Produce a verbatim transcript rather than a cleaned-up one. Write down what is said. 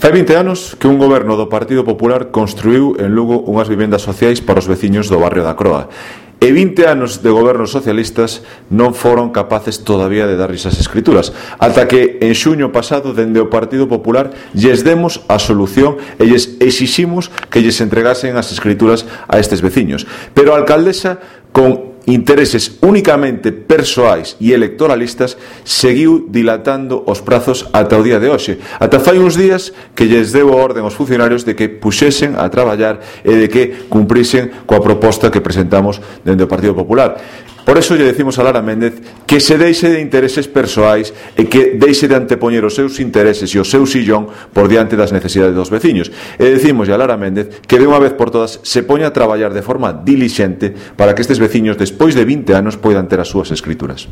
Fai vinte anos que un goberno do Partido Popular construiu en Lugo unhas vivendas sociais para os veciños do barrio da Croa. E vinte anos de gobernos socialistas non foron capaces todavía de dar esas escrituras, ata que en xuño pasado, dende o Partido Popular, lles demos a solución e lles exiximos que lles entregasen as escrituras a estes veciños. Pero a alcaldesa, con intereses únicamente persoais e electoralistas, seguiu dilatando os prazos ata o día de hoxe. Ata fai uns días que lles deu a orden aos funcionarios de que puxesen a traballar e de que cumprisen coa proposta que presentamos dende o Partido Popular. Por eso lle decimos a Lara Méndez que se deixe de intereses persoais e que deixe de antepoñer os seus intereses e o seu sillón por diante das necesidades dos veciños. E decimos a Lara Méndez que de unha vez por todas se poña a traballar de forma dilixente para que estes veciños, despois de vinte anos, poidan ter as súas escrituras.